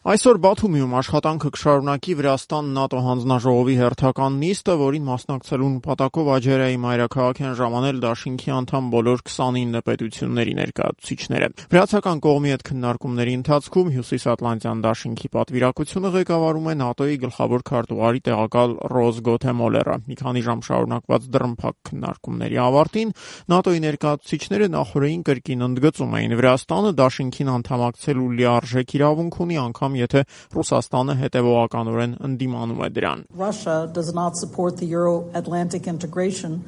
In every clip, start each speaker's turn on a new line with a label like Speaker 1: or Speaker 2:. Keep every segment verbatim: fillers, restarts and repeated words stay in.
Speaker 1: Այսօր Բաթումիում աշխատանքը կշարունակի Վրաստան-ՆԱՏՕ հանձնաժողովի հերթական նիստը, որին մասնակցելու նպատակով Աջերայի մայրաքաղաք են ժամանել դաշինքի անդամ բոլոր քսանինը պետությունների ներկայացուցիչները։ Վրացական կողմի հետ քննարկումների ընթացքում Հյուսիսատլանտյան դաշինքի պատվիրակությունը ղեկավարում է ՆԱՏՕ-ի գլխավոր քարտուղարի տեղակալ Ռոզ Գոթեմոլերը։ Մի քանի ժամ շարունակված դռնփակ քննարկումների ավարտին ՆԱՏՕ-ի ներկայացուցիչները նախորդին կրկին ընդգծում էին Վրաստանը դաշինքին անդամակցելու լիարժեք իրավունք ունի, անգամ եթե Ռուսաստանը հետևողականորեն ընդդիմանում է դրան։
Speaker 2: Russia does not support the Euro-Atlantic integration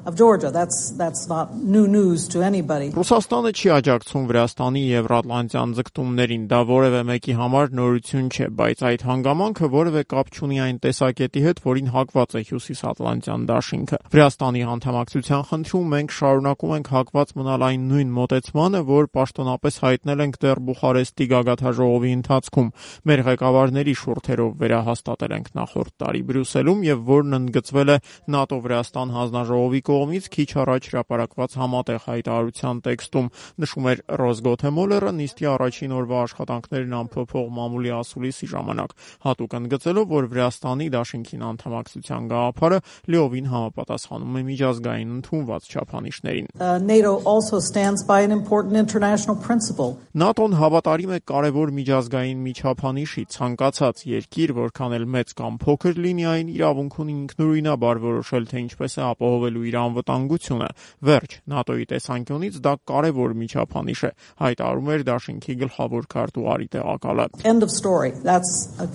Speaker 2: of Georgia. That's that's not new news to anybody.
Speaker 1: Ռուսաստանը չի աջակցում Վրաստանի եվրատլանտյան ձգտումներին, դա որևէ մեկի համար նորություն չէ, բայց այդ հանգամանքը որևէ կապ չունի այն տեսակետի հետ, որին հակված է Հյուսիսատլանտյան դաշինքը։ Վրաստանի անդամակցության խնդրում մենք շարունակում ենք հակված մնալ այն նույն մոտեցմանը, որ պաշտոնապես հայտնել ենք դեռ Բուխարեստի գագաթնաժողովի ընթացքում, մեր ղեկավարների շուրթերով վերահաստատել ենք նախորդ տարի Բրյուսելում եւ որն ընդգծվել է ՆԱՏՕ-Վրաստան հանձնաժողովի կողմից քիչ առաջ հրապարակված համատեղ հայտարարության տեքստում, նշում էր Ռոզ Գոթեմոլերը նիստի առաջին օրվա աշխատանքներն ամփոփող մամուլի ասուլիսի ժամանակ, հատուկ ընդգծելով, որ Վրաստանի դաշինքին անդամակցության գաղափարը լիովին համապատասխանում է միջազգային ընդունված չափանիշներին։
Speaker 2: NATO also stands by an important international principle.
Speaker 1: ՆԱՏՕ-ն հավատարիմ է կարևոր միջազգային միջափանիշի, ցանկացած երկիր, որքան էլ մեծ կամ փոքր լինի, այն իրավունք ունի ինքնուրույնաբար որոշել, թե ինչպես է ապահովելու իր անվտանգությունը։ Վերջ, ՆԱՏՕ-ի տեսանկյունից դա կարևոր միջափանիշ է, հայտարարում էր դաշինքի գլխավոր քարտուղարի տեղակալը։
Speaker 2: End of story. That's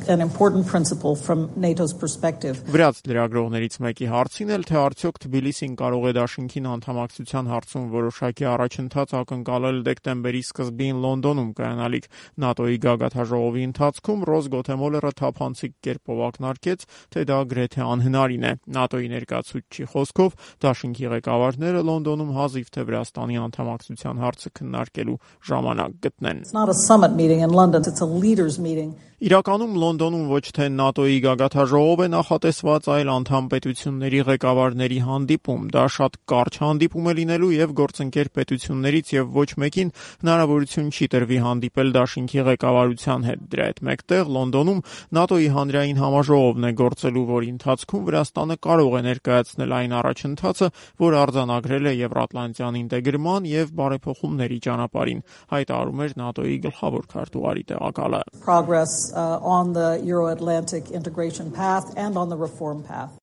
Speaker 2: an important principle from NATO's perspective.
Speaker 1: Վրաց լրագրողներից մեկի հարցին էլ, թե արդյոք Թբիլիսին կարող է դաշինքին անդամակցության հարցում որոշակի առաջընթաց ակնկալել դեկտեմբերի սկզբին Լոնդոնում կայանալիք ՆԱՏՕ-ի գագաթնաժողովի ընթացքում, Ռոզ Գոթեմոլերը թափանցիկ կերպով ակնարկեց, թե դա գրեթե անհնարին է։ ՆԱՏՕ-ի ներկայացուցչի խոսքով դաշինքի ղեկավարները Լոնդոնում հազիվ թե Վրաստանի անդամակցության հարցը քննարկելու ժամանակ գտնեն։
Speaker 2: It's not a summit meeting in London, it's a leaders meeting.
Speaker 1: Իրականում Լոնդոնում ոչ թե ՆԱՏՕ-ի գագաթնաժողով է նախատեսված, այլ անդամ պետությունների ղեկավարների հանդիպում։ Դա շատ կարճ հանդիպում է լինելու եւ գործընկեր պետություններից եւ ոչ մեկին հնարավորություն չի տրվի հանդիպել դաշինքի ղեկավարության հետ։ Դրա հետ մեկտեղ Լոնդոնում ՆԱՏՕ-ի հանրային համաժողովն է գործելու, որի ընթացքում Վրաստանը կարող է ներկայացնել այն առաջընթացը, որ արձանագրել է Եվրատլանտյան ինտեգրման եւ բարեփոխումների ճանապարհին, հայտարարում էր ՆԱՏՕ-ի գլխավոր քարտուղարի տեղակալը։
Speaker 2: Progress uh, on the Euro-Atlantic integration path and on the reform path.